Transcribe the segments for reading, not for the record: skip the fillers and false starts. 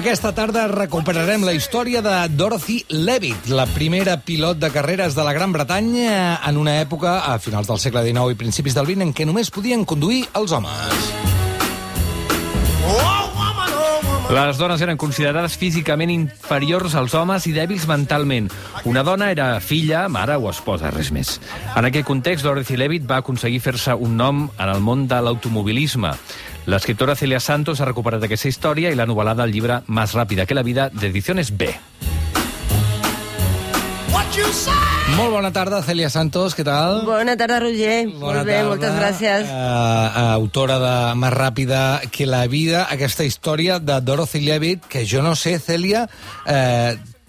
Aquesta tarda recuperarem la història de Dorothy Levitt, la primera pilot de carreres de la Gran Bretanya en una època, a finals del segle XIX i principis del XX, en què només podien conduir els homes. Les dones eren considerades físicament inferiors als homes i dèbils mentalment. Una dona era filla, mare o esposa, res més. En aquest context, Dorothy Levitt va aconseguir fer-se un nom en el món de l'automobilisme. L'escriptora Celia Santos ha recuperat aquesta història i l'ha novel·lada al llibre Más rápida que la vida, d'Ediciones B. Molt bona tarda, Celia Santos, què tal? Bona tarda, Roger. Molt bé, moltes gràcies. Autora de Más ràpida que la vida, aquesta història de Dorothy Levitt, que jo no sé, Celia,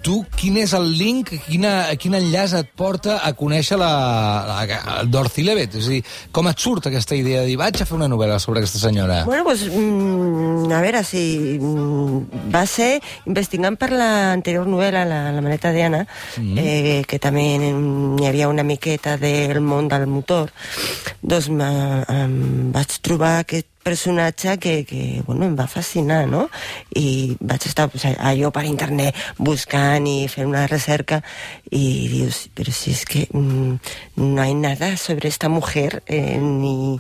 tu, quin és el link, quin enllaç et porta a conèixer la Dorothy Levitt? És a dir, com et surt aquesta idea de dir, vaig a fer una novel·la sobre aquesta senyora? Bueno, pues, a veure, si va ser investigant per l'anterior novel·la, la maleta d'Anna, que també hi havia una miqueta del món del motor, doncs vaig trobar aquest personatge que bueno, em va fascinar, no? I vaig estar allò per internet buscant i fent una recerca y dius, pero si es que no hay nada sobre esta mujer ni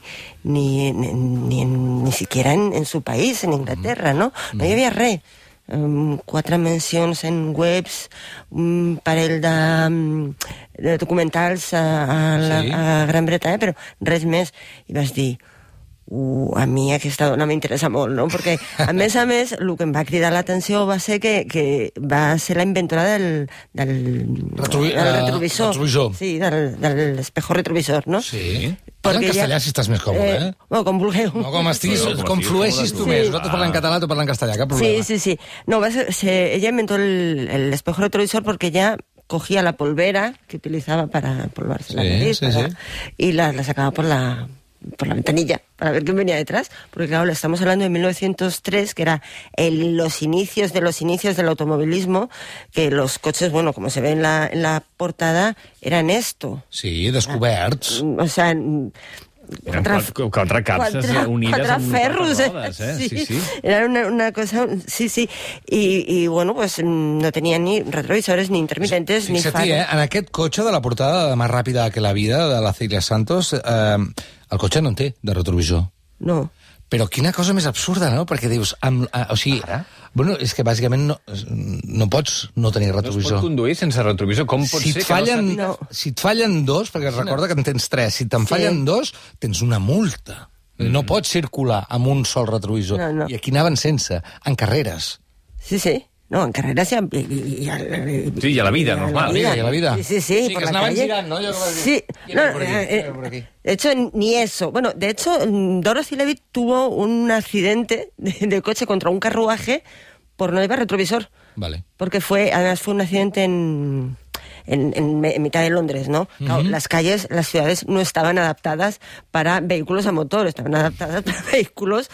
siquiera en su país, en Inglaterra, no? No hi havia res. 4 mencions en webs, un parell de documentals a Gran Bretanya, però res més. I vas dir, a mi aquesta dona m'interessa molt, no? Perquè, a més, el que em va cridar l'atenció va ser que va ser la inventora del retrovisor. Sí, del espejo retrovisor, no? Sí. Parla en castellà si estàs més còmode, eh? Bueno, com vulgueu. No, com flueixis tu més. Nosaltres parlem en català, tu parles en castellà, cap problema. Sí. No, ella inventó el espejo retrovisor porque ella cogía la polvera que utilizaba para polvarse la nariz y la sacaba por la ventanilla para ver quién venía detrás, porque claro, estamos hablando de 1903, que era los inicios del automovilismo, que los coches, bueno, como se ve en la portada, eran esto. Sí, descoberts. O sea, quatre capses unides amb ferros, rodes, Sí. Era una cosa... Sí. Y bueno, pues no tenía ni retrovisores, ni intermitentes, ni faros. En aquest cotxe de la portada de Más ràpida que la vida, de la Celia Santos, el cotxe no en té de retrovisor. No. Però quina cosa més absurda, no? Perquè dius... Bueno, és que bàsicament no pots no tenir retrovisor. No es pot conduir sense retrovisor. Com pot ser que no sàpiga? Si et fallen 2, perquè recorda que en tens 3, si te'n fallen 2, tens una multa. No pots circular amb un sol retrovisor. No. I aquí anaven sense, en carreres. Sí. No, en carreras y a la vida, normal. Y a la vida. Sí, sí, que estaban girando, ¿no? Sí. De hecho, ni eso. Bueno, de hecho, Dorothy Levitt tuvo un accidente de coche contra un carruaje por no llevar retrovisor. Vale. Porque además fue un accidente en mitad de Londres, ¿no? Claro, las ciudades no estaban adaptadas para vehículos a motor, estaban adaptadas para vehículos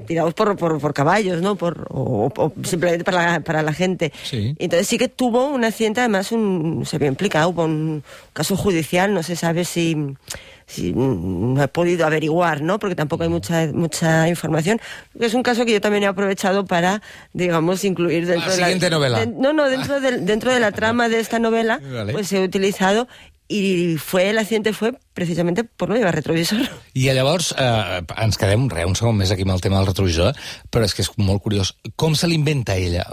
tirados por caballos, ¿no? O simplemente para la gente. Sí. Entonces sí que tuvo un accidente, además se había implicado con un caso judicial, no se sabe si no he podido averiguar, ¿no? Porque tampoco hay mucha información. Es un caso que yo también he aprovechado para, digamos, incluir dentro de la siguiente novela. Dentro de la trama de esta novela, vale. Pues he utilizado i el accidente fue precisamente por no llevar retrovisor. I llavors ens quedem un segon més aquí amb el tema del retrovisor, però és que és molt curiós. Com se l'inventa ella?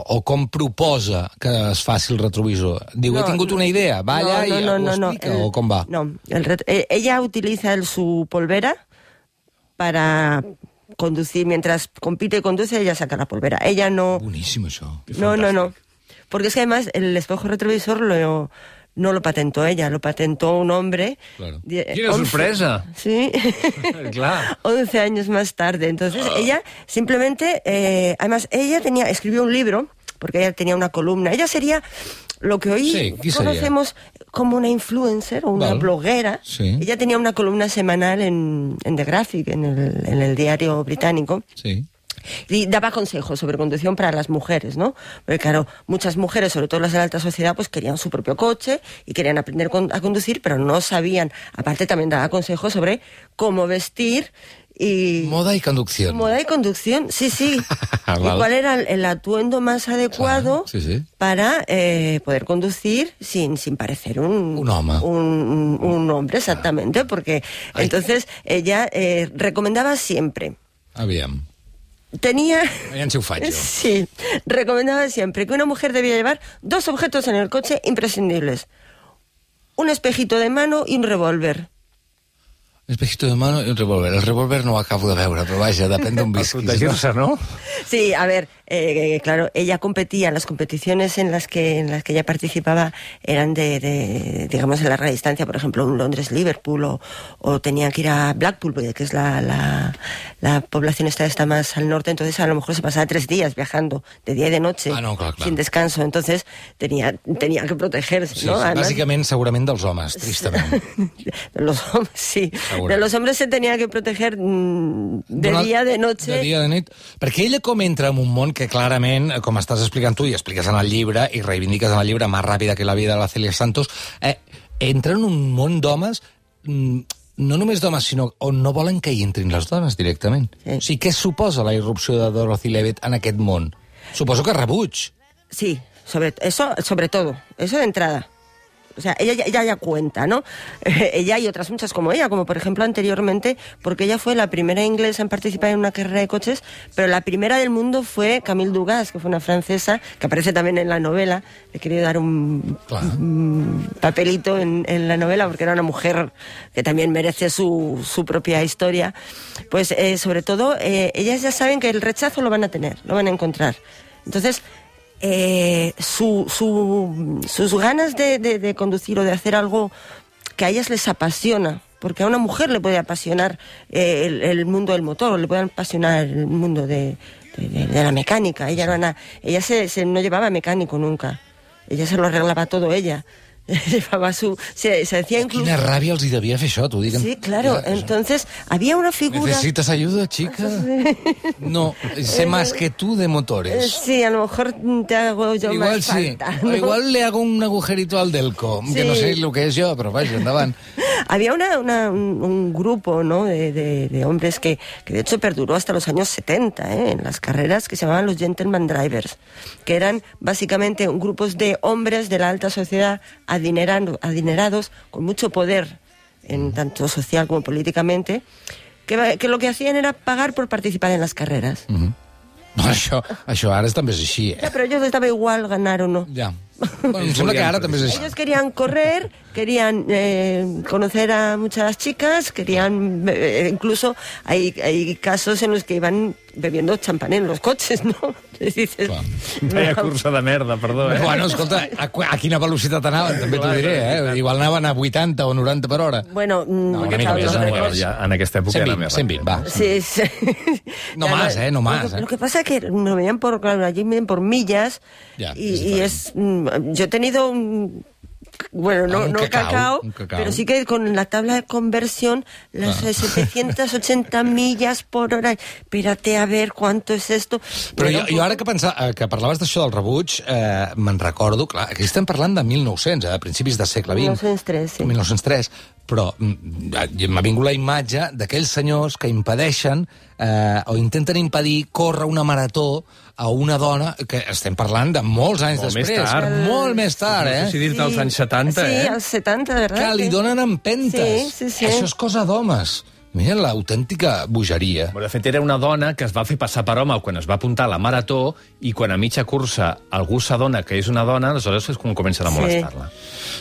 O com proposa que es faci el retrovisor? Diu, he tingut una idea, va allà i ho explica, o com va? No, ella utiliza su polvera para conducir, mientras compite y conduce, ella saca la polvera. Ella no... Buenísimo això. No. Porque es que además el espejo retrovisor no lo patentó ella, lo patentó un hombre. Claro. ¡Qué sorpresa! Sí. Claro. 11 años más tarde. Entonces ella simplemente... además, ella escribió un libro, porque ella tenía una columna. Ella sería lo que hoy conocemos como una influencer o una bloguera. Sí. Ella tenía una columna semanal en The Graphic, en el diario británico. Sí. Y daba consejos sobre conducción para las mujeres, ¿no? Porque claro, muchas mujeres, sobre todo las de la alta sociedad, pues querían su propio coche y querían aprender a conducir, pero no sabían. Aparte también daba consejos sobre cómo vestir Moda y conducción. Moda y conducción, sí. ¿Y cuál era el atuendo más adecuado para poder conducir sin parecer un home? Un hombre, exactamente, porque entonces ella recomendaba siempre... Aviam. Aviam si ho faig jo. Sí, recomendaba siempre que una mujer debía llevar 2 objetos en el coche imprescindibles. Un espejito de mano y un revólver. Espejito de mano y un revólver. El revólver no ho acabo de veure, però vaja, depèn d'on visquis. Protegir-se, no? Sí, a ver, claro, ella competía, las competiciones en las que ella participaba eran digamos, en larga distancia, por ejemplo, un Londres-Liverpool, o tenía que ir a Blackpool, que es la población está más al norte, entonces a lo mejor se pasaba 3 días viajando, de día y de noche, clar. sin descanso, entonces tenía que protegerse, sí, ¿no? Sí, además, bàsicament, segurament dels homes, tristament. Los hombres, sí. De los hombres se tenía que proteger de día, de noche... De dia, de nit. Perquè ella com entra en un món que clarament, com estàs explicant tu i expliques en el llibre i reivindiques en el llibre Más ràpida que la vida de la Celia Santos, entra en un món d'homes, no només d'homes, sinó on no volen que hi entrin les dones directament. Sí. O sigui, què suposa la irrupció de Dorothy Levitt en aquest món? Suposo que rebuig. Sí, sobre todo, eso de entrada. O sea, ella ya cuenta, ¿no? Ella y otras muchas como ella, como por ejemplo anteriormente, porque ella fue la primera inglesa en participar en una carrera de coches, pero la primera del mundo fue Camille Dugas, que fue una francesa, que aparece también en la novela. Le he querido dar un papelito en la novela, porque era una mujer que también merece su propia historia. Pues sobre todo, ellas ya saben que el rechazo lo van a tener, lo van a encontrar. Entonces... sus ganas de conducir o de hacer algo que a ellas les apasiona, porque a una mujer le puede apasionar el mundo del motor, le puede apasionar el mundo de la mecánica. Ella no llevaba mecánico nunca, ella se lo arreglaba todo ella. Llevaba se decía incluso... Quina ràbia els hi devia fer això, t'ho dic. Sí, claro, entonces había una figura... ¿Necesitas ayuda, chica? No, sé más que tú de motores. Sí, a lo mejor te hago yo igual más falta. Sí. ¿No? Igual le hago un agujerito al Delco, que no sé lo que es yo, pero vaya, endavant. Había un grupo, ¿no?, de hombres que de hecho perduró hasta los años 70, en las carreras, que se llamaban los Gentleman Drivers, que eran básicamente grupos de hombres de la alta sociedad adinerados, con mucho poder, en tanto social como políticamente, que lo que hacían era pagar por participar en las carreras. No, això ara també és així, Ja, però a ellos les daba igual ganar o no. Ja. Bueno, em sembla que ara també és així. Ellos querían correr, querían conocer a muchas chicas, querían... incluso hay casos en los que iban bebiendo champán en los coches, ¿no? Les dices... Vaya cursa de merda, perdó, Bueno, escolta, a quina velocitat anaven, també t'ho diré, Igual anaven a 80 o 90 per hora. Bueno, no, una mica més, en aquesta època 120, era més 120, va. Sí. No más, no más. Lo que pasa es que no veían allí miden por millas, y es... Yo he tenido bueno, no cacao, pero sí que con la tabla de conversión, las 780 millas por hora, espérate a ver cuánto es esto. Però jo ara que parlaves d'això del rebuig, me'n recordo, clar, aquí estem parlant de 1900, a principis del segle XX. 1903, sí. 1903, però m'ha vingut la imatge d'aquells senyors que impedeixen o intenten impedir córrer una marató a una dona, que estem parlant de molts anys després. Molt més tard, No sé si dir-te als anys 70, Sí, als 70, de verdad. Que li donen empentes. Sí. Això és cosa d'homes. Mira l'autèntica bogeria. De fet, era una dona que es va fer passar per home quan es va apuntar a la marató, i quan a mitja cursa algú s'adona que és una dona, aleshores és quan comencen a molestar-la.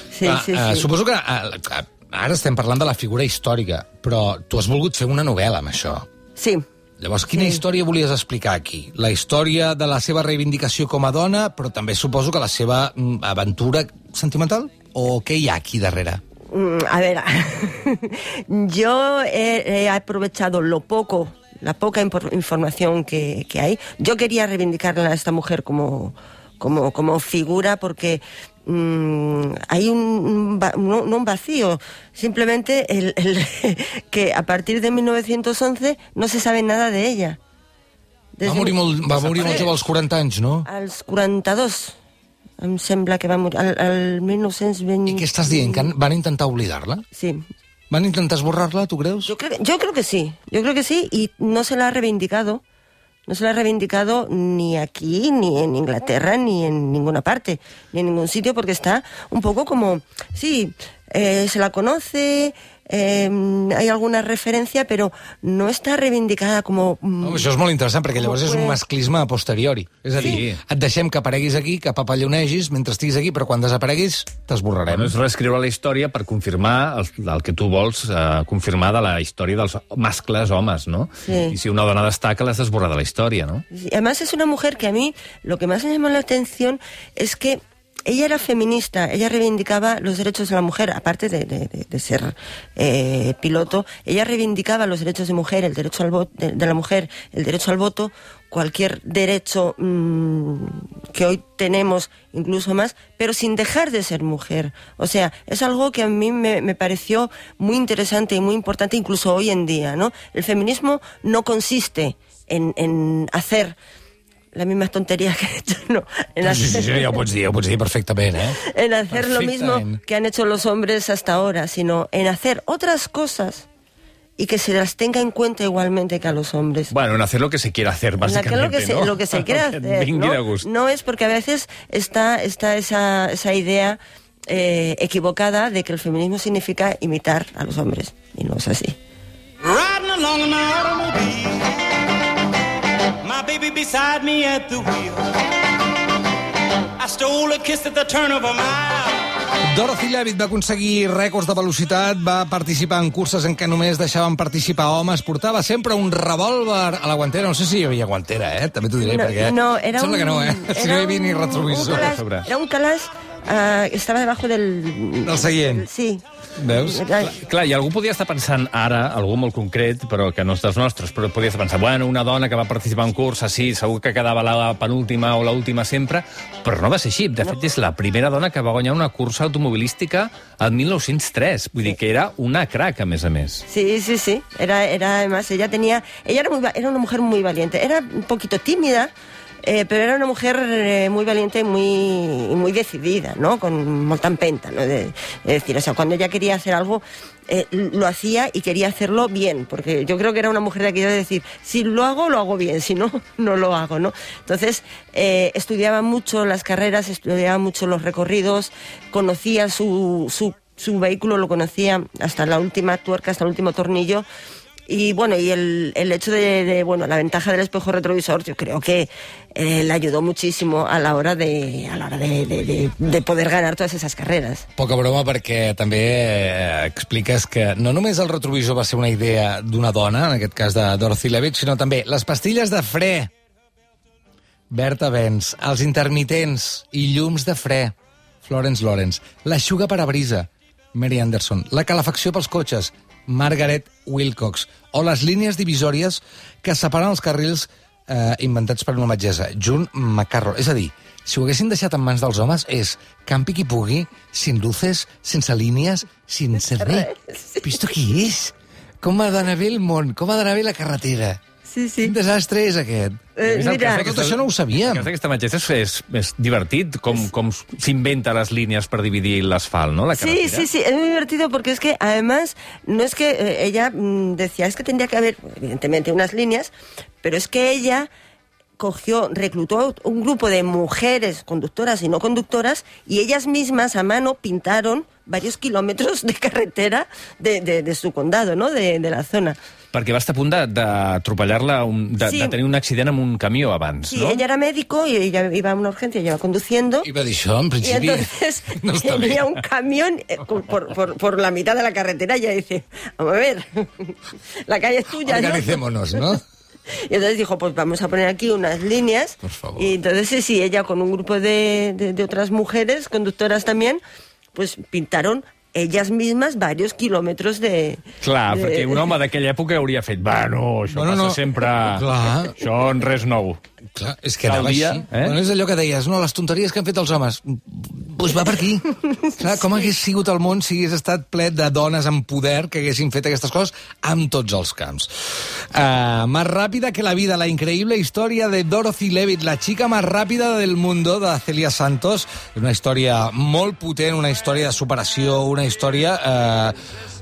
Sí. Suposo que ara estem parlant de la figura històrica, però tu has volgut fer una novel·la amb això. Sí. Llavors, quina història volies explicar aquí? La història de la seva reivindicació com a dona, però també suposo que la seva aventura sentimental? O què hi ha aquí darrere? A ver, yo he aprovechado la poca información que hay. Yo quería reivindicar a esta mujer como figura, porque hay un vacío, simplemente que a partir de 1911 no se sabe nada de ella. Va morir molt jove als 40 anys, no? Als 42, em sembla que va morir, al 1920... I què estàs dient, que van intentar oblidar-la? Sí. Van intentar esborrar-la, tu creus? Yo creo que sí, y no se la ha reivindicado. No se la ha reivindicado ni aquí, ni en Inglaterra, ni en ninguna parte, ni en ningún sitio, porque está un poco como... Sí, se la conoce, hay alguna referència, però no està reivindicada com... Això és molt interessant, perquè llavors és un masclisme a posteriori. És a dir, et deixem que apareguis aquí, que papallonegis mentre estiguis aquí, però quan desapareguis t'esborrarem. Bueno, és reescriure la història per confirmar el que tu vols confirmar de la història dels mascles homes, ¿no? Sí. I si una dona destaca, l'has d'esborrar de la història, ¿no? Sí. Además es una mujer que a mí lo que más me llamó la atención es que ella era feminista, ella reivindicaba los derechos de la mujer, aparte de ser piloto, ella reivindicaba los derechos de mujer, el derecho al voto, de la mujer, el derecho al voto, cualquier derecho que hoy tenemos, incluso más, pero sin dejar de ser mujer. O sea, es algo que a mí me pareció muy interesante y muy importante, incluso hoy en día, ¿no? El feminismo no consiste en hacer las mismas tonterías que he hecho, no. Sí, ja ho pots dir perfectament, En hacer lo mismo que han hecho los hombres hasta ahora, sino en hacer otras cosas y que se las tenga en cuenta igualmente que a los hombres. Bueno, en hacer lo que se quiera hacer, básicamente, ¿no? Lo que se quiera hacer, ¿no? No es porque a veces está esa idea equivocada de que el feminismo significa imitar a los hombres, y no es así. Riding along in my automobile, my baby beside me at the wheel. I stole a kiss at the turn of a mile. Dorothy Levitt va aconseguir rècords de velocitat, va participar en curses en què només deixaven participar homes, portava sempre un revòlver a la guantera. No sé si hi havia guantera, també t'ho diré, perquè... No, era sembla que no, si no hi havia ni retrovisor. Era un calaix estava debajo del seient. Sí. Veus? Clar, i algú podia estar pensant ara, algú molt concret, però que no és dels nostres, però podia estar pensant, bueno, una dona que va participar en cursa, sí, segur que quedava la penúltima o l'última sempre, però no va ser així. De fet, és la primera dona que va guanyar una cursa automobilística el 1903. Vull dir que era una crack, a més a més. Sí. Era además, ella era una mujer muy valiente. Era un poquito tímida, pero era una mujer muy valiente y muy decidida, ¿no? Con molta empenta, ¿no? Es decir, o sea, cuando ella quería hacer algo, lo hacía y quería hacerlo bien, porque yo creo que era una mujer de aquello de decir, si lo hago bien, si no, no lo hago, ¿no? Entonces, estudiaba mucho las carreras, estudiaba mucho los recorridos, conocía su vehículo, lo conocía hasta la última tuerca, hasta el último tornillo. Y bueno, y el hecho de la ventaja del espejo retrovisor, yo creo que le ayudó muchísimo a la hora de poder ganar todas esas carreras. Poca broma, perquè també expliques que no només el retrovisor va ser una idea d'una dona, en aquest cas de Dorothy Levitt, sinó també les pastilles de fre, Berta Benz, els intermitents i llums de fre, Florence Lawrence, l'aixuga per a brisa, Mary Anderson, la calefacció pels cotxes, Margaret Wilcox, o les línies divisòries que separen els carrils inventats per una metgessa, June McCarroll. És a dir, si ho haguessin deixat en mans dels homes, és campi qui pugui, sin luces, sense línies, sense res. Però esto què és? Com ha d'anar bé el món? Com ha d'anar bé la carretera? Sí. Quin desastre és aquest? Mira, tot això no ho sabíem. El cas d'aquesta metgessa és divertit, com s'inventa les línies per dividir l'asfalt, ¿no? La carretera. Sí, es muy divertido porque es que, además, no es que ella decía, es que tendría que haber, evidentemente, unas líneas, pero es que ella reclutó un grupo de mujeres conductoras y no conductoras y ellas mismas a mano pintaron varios kilómetros de carretera de su condado, ¿no? De la zona. Perquè va estar a punt d'atropellar-la, de tenir un accident amb un camió abans, sí, ¿no? Sí, ella era médico y ella iba a una urgencia, ella iba conduciendo. Iba a dir això, en principi. Y entonces venía un camión por la mitad de la carretera y ella dice, vamos a ver, la calle es tuya, ¿no? Organicémonos, ¿no? Y entonces dijo, pues vamos a poner aquí unas líneas. Por favor. Y entonces sí, ella con un grupo de otras mujeres, conductoras también, pues pintaron ellas mismas varios kilómetros de... Clar, perquè un home d'aquella època hauria fet, això passa sempre... Clar. Això en res nou. Clar, és que anava així. Bueno, és allò que deies, no, les tonteries que han fet els homes. Doncs va per aquí. Clar, com hagués sigut el món si hagués estat ple de dones amb poder que haguessin fet aquestes coses amb tots els camps. Más rápida que la vida, la increíble historia de Dorothy Levitt, la chica más rápida del mundo, de Celia Santos. Una història molt potent, una història de superació, una història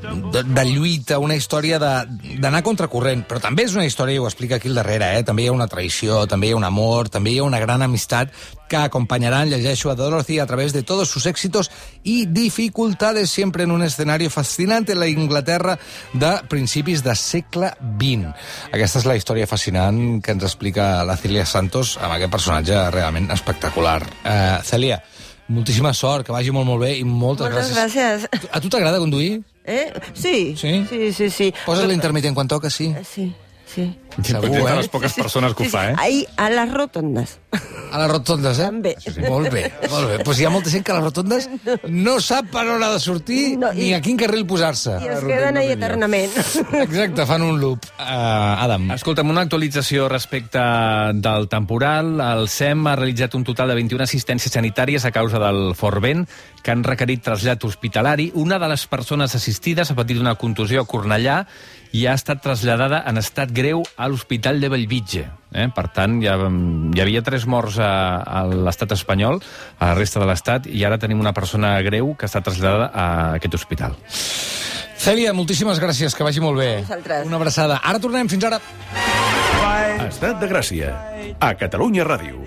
de lluita, una història d'anar contracorrent, però també és una història, i ho explica aquí al darrere, també hi ha una traïció, també hi ha un amor, també hi ha una gran amistat que acompañarán, llegeixo, a Dorothy a través de todos sus éxitos y dificultades, siempre en un escenario fascinante, la Inglaterra de principis de segle XX. Aquesta és la història fascinant que ens explica la Celia Santos amb aquest personatge realment espectacular. Celia, moltíssima sort, que vagi molt, molt bé i moltes gràcies. A tu t'agrada conduir? Sí. Sí. Poses l'intermitent quan toca, sí? Sí. Segur, de les poques persones que ho fa, Ahí, a les rotondes. A les rotondes, També. Molt bé. Pues hi ha molta gent que a les rotondes no sap per on ha de sortir ni a quin carril posar-se. I es queden ahí eternament. Exacte, fan un loop. Adam. Escolta'm, una actualització respecte del temporal. El SEM ha realitzat un total de 21 assistències sanitàries a causa del fort vent que han requerit trasllat hospitalari. Una de les persones assistides ha patit una contusió a Cornellà i ha estat traslladada en estat greu a l'Hospital de Bellvitge. Per tant, hi havia 3 morts a l'estat espanyol, a la resta de l'estat, i ara tenim una persona greu que està traslladada a aquest hospital. Cèlia, moltíssimes gràcies, que vagi molt bé. Una abraçada. Ara tornem, fins ara. Estat de Gràcia, a Catalunya Ràdio.